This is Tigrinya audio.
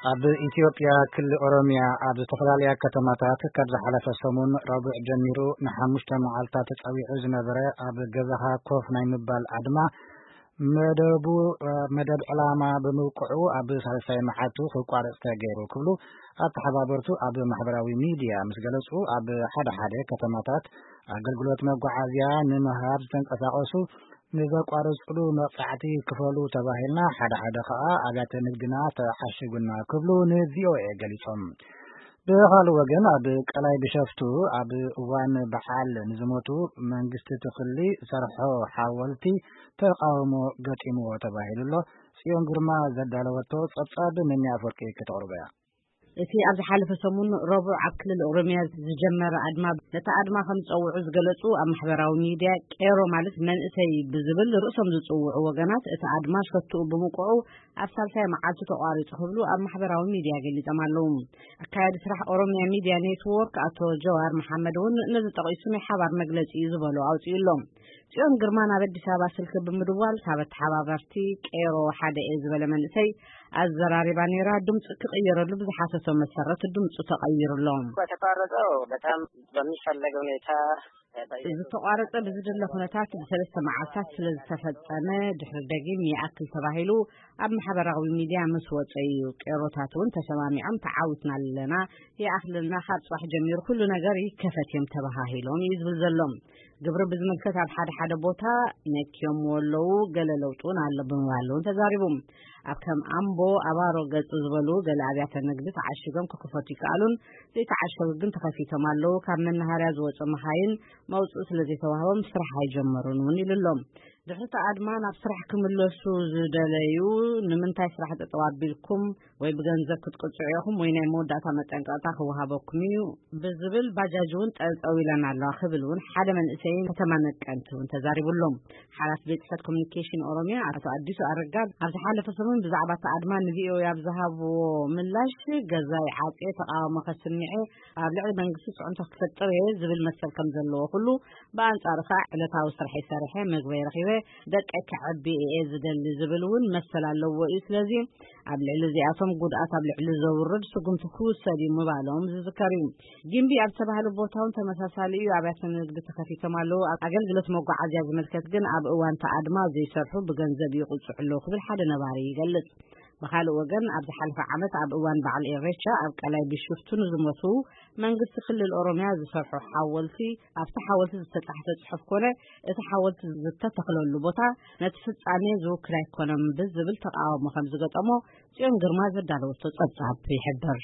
ኣብ ኢትዮጵያ ክልል ኦሮሚያ ኣብ ዝተፈላለያ ከተማታት ካብ ዝሓለፈ ሰሙን ረቡዕ ጀሚሩ ንሓሙሽተ መዓልታት ተጸዊዑ ዝነበረ ኣብ ገዛኻ ኮፍ ናይ ምባል ኣድማ መደቡ፣ መደብ ዕላማ ብምብቅዑ ኣብ ሳልሳይ መዓልቱ ክቋረጽ ተገይሩ ክብሉ ኣተሓባበርቱ ኣብ ማሕበራዊ ሚድያ ምስ ገለጹ፣ ኣብ ሓደ ሓደ ከተማታት ኣገልግሎት መጓዓዝያ ንምሃብ ዝተንቀሳቐሱ ንዘቋረጽሉ መቕጻዕቲ ክፈሉ ተባሂልና፣ ሓደ ሓደ ከኣ ኣብያተ ንግድና ተዓሽጉና ክብሉ ንቪኦኤ ገሊጾም። ብኻልእ ወገን ኣብ ቀላይ ቢሸፍቱ ኣብ እዋን በዓል ንዝሞቱ መንግስቲ ትኽሊ ዝሰርሖ ሓወልቲ ተቃውሞ ገጢምዎ ተባሂሉ ኣሎ። ጽዮን ግርማ ዘዳለወቶ ጸብጻብ መኒ ኣፈወርቂ ከተቕርቦ እያ። እቲ ኣብ ዝሓለፈ ሰሙን ረቡዕ ኣብ ክልል ኦሮሚያ ዝጀመረ ኣድማ፣ ነቲ ኣድማ ከም ዝጸውዑ ዝገለጹ ኣብ ማሕበራዊ ሚድያ ቄሮ ማለት መንእሰይ ብዝብል ርእሶም ዝጽውዑ ወገናት፣ እቲ ኣድማ ሸትኡ ብምቁዑ ኣብ ሳልሳይ መዓልቱ ተቋሪጹ ክብሉ ኣብ ማሕበራዊ ሚድያ ገሊጾም ኣለዉ። ኣካያዲ ስራሕ ኦሮሚያ ሚድያ ኔትወርክ ኣቶ ጀዋር መሓመድ እውን ነዚ ጠቒሱ ናይ ሓባር መግለጺ እዩ ዝበሎ ኣውጺኡ ኣሎ። ጽዮን ግርማ ናብ ኣዲስ ኣበባ ስልኪ ብምድዋል ካብ ኣተሓባበርቲ ቄሮ ሓደ እየ ዝበለ መንእሰይ ኣዘራሪባ ነይራ። ድምፁ ክቕየረሉ ብዝሓተቶ መሰረት ድምፁ ተቐይሩ ኣሎ። የተቋረጠው በጣም በሚፈለግ ሁኔታ ዝተቋረጸ ብዝድለ ኩነታት ብሰለስተ መዓልታት ስለ ዝተፈጸመ ድሕሪ ደጊም ይኣክል ተባሂሉ ኣብ ማሕበራዊ ሚድያ ምስ ወጸ እዩ። ቄሮታት እውን ተሰማሚዖም ተዓዊትና ኣለና፣ ይኣኽለና፣ ካብ ጽባሕ ጀሚሩ ኩሉ ነገር ይከፈት እዮም ተባሃሂሎም እዩ ዝብል ዘሎ። ግብሪ ብዝምልከት ኣብ ሓደ ሓደ ቦታ ነክዮም ኣለዉ፣ ገለ ለውጢ እውን ኣሎ ብምባል እውን ተዛሪቡ። ኣብ ከም ኣምቦ፣ ኣባሮ ገጽ ዝበሉ ገለ ኣብያተ ንግዲ ተዓሺጎም ክኽፈቱ ይከኣሉን ዘይተዓሸጉ ግን ተኸፊቶም ኣለዉ። ካብ መናሃርያ ዝወጹ መኻይን መውጽኢ ስለ ዘይተዋህቦም ስራሕ ኣይጀመሩን እውን ኢሉ ኣሎ። ድሕሪ እቲ ኣድማ ናብ ስራሕ ክምለሱ ዝደለዩ ንምንታይ ስራሕ ጠጠው ኣቢልኩም ወይ ብገንዘብ ክትቅጽዑ ኢኹም ወይ ናይ መወዳእታ መጠንቀቕታ ክወሃበኩም እዩ ብዝብል ባጃጅ እውን ጠጠው ኢለን ኣለዋ ክብል እውን ሓደ መንእሰይ ከተማ ነቀምቲ እውን ተዛሪቡ ኣሎ። ሓላፊ ቤት ጽሕፈት ኮሚኒኬሽን ኦሮሚያ ኣቶ ኣዲሱ ኣረጋ ኣብ ዝሓለፈ ሰሙን ብዛዕባ እቲ ኣድማ ንቪኦኤ ኣብ ዝሃብዎ ምላሽ፣ ገዛይ ዓጽየ ተቃውሞ ከስምዐ ኣብ ልዕሊ መንግስቲ ጽዕንቶ ክፈጥር እየ ዝብል መሰል ከም ዘለዎ ኩሉ፣ ብኣንጻሩ ከኣ ዕለታዊ ስርሐይ ሰሪሐ፣ መግበይ ረኺበ፣ ደቀይ ከዕቢ እየ ዝደሊ ዝብል እውን መሰል ኣለዎ እዩ። ስለዚ ኣብ ልዕሊ እዚኣቶም ጉድኣት ኣብ ልዕሊ ዘውርድ ስጉምቲ ክውሰድ እዩ ምባሎም ዝዝከር እዩ። ጊምቢ ኣብ ዝተባህለ ቦታ እውን ተመሳሳሊ እዩ። ኣብያተ ንግዲ ተኸፊቶም ኣለዉ። ኣብ ኣገልግሎት መጓዓዝያ ዝምልከት ግን ኣብ እዋን ተኣድማ ዘይሰርሑ ብገንዘብ ይቕጽዑ ኣለዉ ክብል ሓደ ነባሪ ይገልጽ። ብኻልእ ወገን ኣብ ዝሓለፈ ዓመት ኣብ እዋን በዓል ኢሬቻ ኣብ ቀላይ ቢሾፍቱ ንዝሞቱ መንግስቲ ክልል ኦሮሚያ ዝሰርሖ ሓወልቲ፣ ኣብቲ ሓወልቲ ዝተጻሕፈ ጽሑፍ ኮነ እቲ ሓወልቲ ዝተተኽለሉ ቦታ ነቲ ፍጻሜ ዝውክል ኣይኮነን ብዝብል ተቃውሞ ከም ዝገጠሞ ጽዮን ግርማ ዘዳለወቶ ጸብጻብ ይሕብር።